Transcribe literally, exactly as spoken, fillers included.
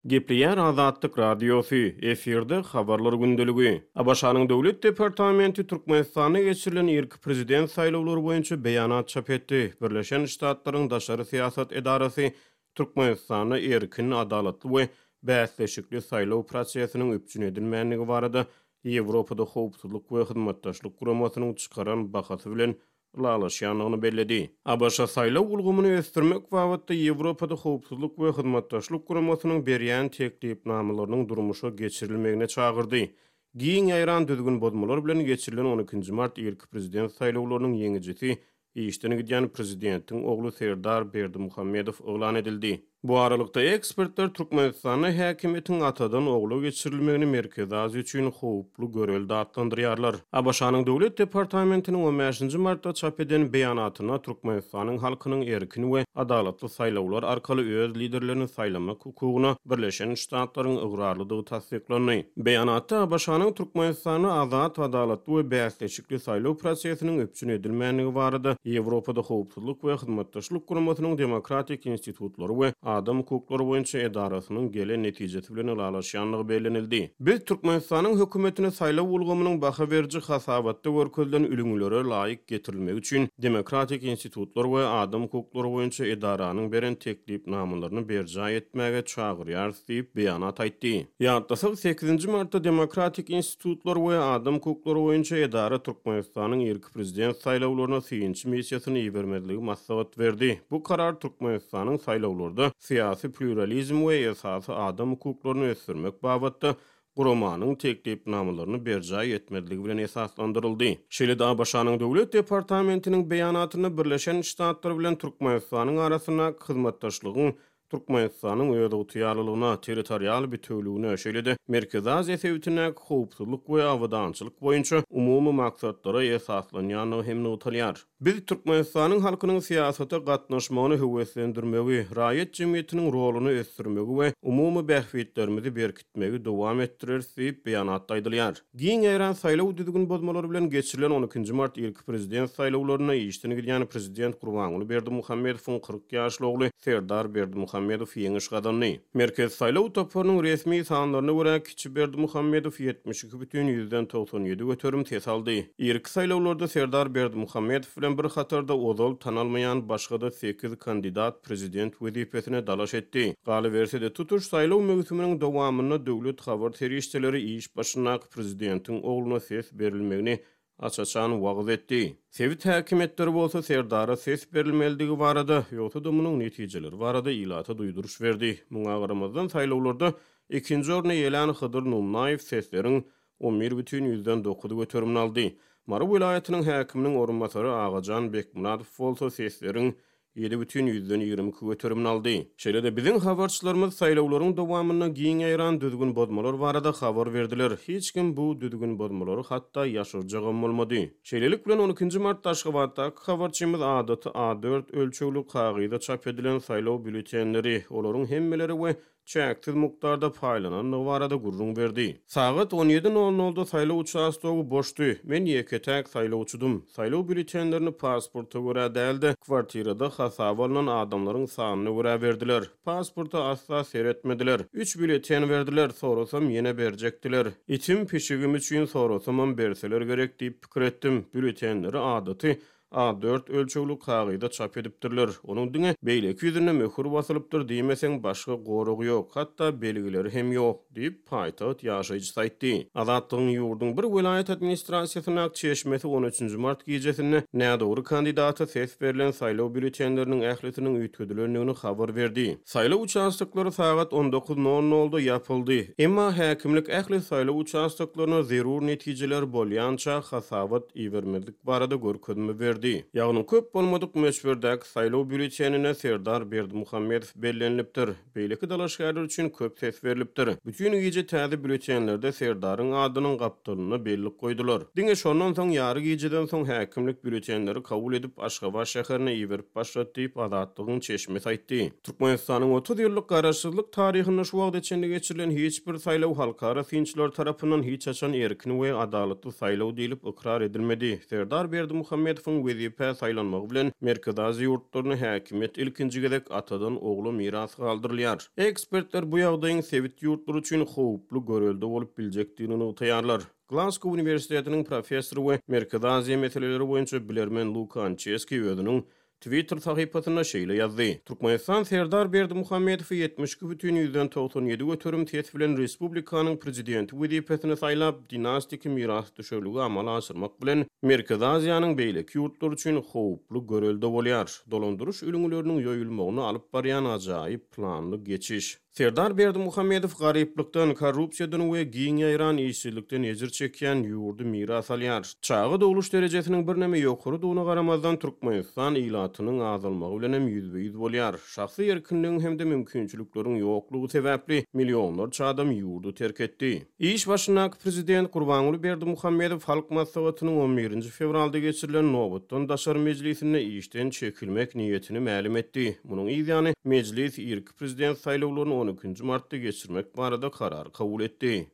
Gepleýär Azatlyk Radiosy, efirde Habarlar gündeligi. ABŞ-nyň Döwlet departamenti Türkmenistanda geçirilen irki prezident saýlawlary boýunça beýanat çap etdi. Birleşen Ştatlaryň daşary syýasat edarasy Türkmenistanda erkin, adalatly we bäsleşikli saýlaw prosesiniň üpjün edilmändigi barada Ýewropada Howpsuzlyk we Hyzmatdaşlyk Guramasynyň çykaran bahasy bilen ylalaşýandygyny belledi. ABŞ saýlaw ulgamyny ösdürmek babatda Ýewropada Howpsuzlyk we Hyzmatdaşlyk Guramasynyň berýän teklipnamalarynyň durmuşa geçirilmegine çagyrdy. Giň ýaýran düzgün bozmalar bilen geçirilen on ikinji mart irki prezident saýlawlarynyň ýeňijisi işden gidýän prezidentiň ogly Serdar Berdimuhamedow yglan edildi. Bu aralykda ekspertler Türkmenistanda häkimiýetiň atadan ogla geçirilmegini Merkezi Aziýa üçin howply görelde atlandyrýarlar. ABŞ-nyň Döwlet departamentiniň on bäşinji martda çap eden beýanatynda Türkmenistanyň halkynyň erkin we adalatly saýlawlar arkaly öz liderlerini saýlamak hukugyna Birleşen Ştatlaryň ygrarlydygy tassyklandy. Beýanatda ABŞ-nyň Türkmenistanda azat, adalatly we bäsleşikli saýlaw prosesiniň üpjün edilmändigi barada Ýewropada Howpsuzlyk we Hyzmatdaşlyk Guramasynyň demokratik institutlary we adam hukuklary boýunça edarasynyň gelen netijesi bilen ylalaşýandygy bellenildi. Biz Türkmenistanyň hökümetini saýlaw ulgamynyň baha beriji hasabatda görkezilen ülňülere laýyk getirilmegi üçin demokratik institutlar we adam hukuklary boýunça edaranyň beren teklipnamalaryny berjaý etmäge çagyrýarys diýip beýanat aýtdy. Ýatlasak, sekizinji martda demokratik institutlar we adam hukuklary boýunça edara Türkmenistanyň irki prezident saýlawlaryna synçy missiýasyny ibermezligi maslahat berdi. Bu karar Türkmenistanyň saýlawlarda syýasy pluralizm we esasy adam hukuklaryny ösdürmek babatda guramanyň teklipnamalaryny berjaý etmezligi bilen esaslandyryldy. Şeýle-de ABŞ-nyň Döwlet departamentiniň beýanatynda Birleşen Ştatlar bilen Türkmenistanyň arasyndaky hyzmatdaşlygyň Türkmenistanyň özygtyýarlylygyna, territorial bütewligine, şeýle-de Merkezi Aziýa sebitindäki howpsuzlyk we abadançylyk boýunça umumy maksatlara esaslanýandygy hem nygtalýar. Biz Türkmenistanyň halkynyň syýasata gatnaşmagyny höweslendirmegi, raýat jemgyýetiniň roluny ösdürmegi we umumy bähbitlerimizi berkitmegi dowam etdireris diýip beýanatda aýdylýar. Giň ýaýran saýlaw düzgün bozmalary bilen geçirilen on ikinji mart irki prezident saýlawlarynda işden gidýän prezident Gurbanguly Berdimuhamedowyň kyrk ýaşly ogly Serdar Berdimuhamedow ýeňiş gazandy. Merkezi saýlaw toparynyň resmi sanlaryna görä kiçi Berdimuhamedow ýetmiş iki bütin ýüzden togsan ýedi göterim ses aldy. Irki saýlawlarda Serdar Berdimuhamedow bilen bir hatarda ozal tanalmaýan başga-da sekiz kandidat prezident wezipesine dalaş etdi. Galyberse-de tutuş saýlaw möwsüminiň dowamynda döwlet habar serişdeleri iş başyndaky prezidentiň ogluna ses berilmegini aç-açan wagyz etdi. Sebit häkimiýetleri bolsa Serdara ses berilmelidigi barada, ýogsa-da munuň netijeleri barada ilata duýduryş berdi. Muňa garamazdan saýlawlarda ikinji orny eýelän Hydyr Nunnaýew sesleriň on bir bütin ýüzden dokuz göterimini aldy. Mary welaýatynyň häkiminiň orunbasary Agajan Bekmyradow bolsa sesleriň ýedi bütin ýüzden ýigrimi iki göterimini aldy. Şeýle-de biziň habarçylarymyz saýlawlaryň dowamynda giň ýaýran düzgün bozmalar barada habar berdiler. Hiç kim bu düzgün bozmalary hatda ýaşyrjagam bolmady. Şeýlelik bilen on ikinji martda Aşgabatdaky habarçymyz adaty A dört ölçegli kagyza çap edilen saýlaw býulletenleri, olaryň hemmeleri we çäksiz mukdarda paýlanandygy barada gürrüň berdi. Sagat on ýedi nol nolda saýlaw uçastogy boşdy. Men ýeke-täk saýlawçydym. Saýlaw býulletenlerini pasporta görä däl-de, kwartirada hasaba alynan adamlaryň sanyna görä berdiler. Pasporta asla seretmediler. Üç býulleten berdiler, sorasam ýene berjekdiler. Itim pişigim üçin sorasamam berseler gerek diýip pikir etdim. Býulletenleri adaty A dört ölçegli kagyza çap edipdirler. Onuň diňe beýleki ýüzünde möhür basylypdyr diýmeseň başga goragy ýok, hatda belgileri hem ýok diýip paýtagt ýaşaýjysy aýtdy. Azatlygyň ýurduň bir welaýat administrasiýasyndaky çeşmesi on üçünji mart gijesinde nädogry kandidata ses berlen saýlaw býulletenleriniň ählisiniň üýtgedilendigini habar berdi. Saýlaw uçastoklary sagat on dokuz nol nolda ýapyldy. Emma häkimlik ähli saýlaw uçastoklaryna zerur netijeler bolýança hasabat ibermezlik barada görkezme berdi. Ýagny köp bolmadyk möçberdäki saýlaw býulletenine Serdar Berdimuhamedow bellenilipdir. Beýleki dalaşgärler üçin köp ses berilipdir. Bütün gije täze býulletenlerde Serdaryň adynyň gapdalynda bellik goýdular. Diňe şondan soň ýary gijeden soň häkimlik býulletenleri kabul edip Aşgabat şäherine iberip başlady diýip Azatlygyň çeşmesi aýtdy. Türkmenistanyň otuz ýyllyk garaşsyzlyk taryhynda şu wagta çenli geçirilen hiç bir saýlaw halkara synçylar tarapyndan hiç haçan erkin we adalatly saýlaw diýlip ykrar edilmedi. Serdar Berdimuhamedowyň wezipä saýlanmagy bilen Merkezi Aziýa ýurtlarynda häkimiýet ilkinji gezek atadan ogla miras galdyrylýar. Ekspertler bu ýagdaýyň sebit ýurtlary üçin howply görelde bolup biljekdigini nygtaýarlar. Glasgow uniwersitetiniň professory we Merkezi Aziýa meseleleri boýunça bilermen Luka Ançeski özüniň Twitter sahypasynda şeýle ýazdy: Türkmenistan Serdar Berdimuhamedowy ýetmiş iki bütin ýüzden togsan ýedi göterim ses bilen respublikanyň prezidenti wezipesine saýlap, dinastiki mirasdüşerligi amala aşyrmak bilen Merkezi Aziýanyň beýleki ýurtlary üçin howply görelde bolýar. Dolandyryş ülňüleriniň ýoýulmagyna alyp barýan ajaýyp planly geçiş. Serdar Berdimuhamedow garyplykdan, korrupsiýadan we giň ýaýran işsizlikden ejir çekýän ýurdy miras alýar. Çaga dogluş derejesiniň birneme ýokarydygyna garamazdan, Türkmenistan ilatynyň azalmagy bilen hem ýüzbe-ýüz bolýar. Şahsy erkinligiň hem-de mümkinçilikleriň ýoklugy sebäpli millionlarça adam ýurdy terk etdi. Iş başyndaky prezident Gurbanguly Berdimuhamedow Halk Maslahatynyň on birinji fewralda geçirilen nobatdan daşary mejlisinde işden çekilmek niýetini mälim etdi. Munuň yz ýany mejlis irki prezident saýlawlaryny on ikinji martda geçirmek barada karar kabul etdi.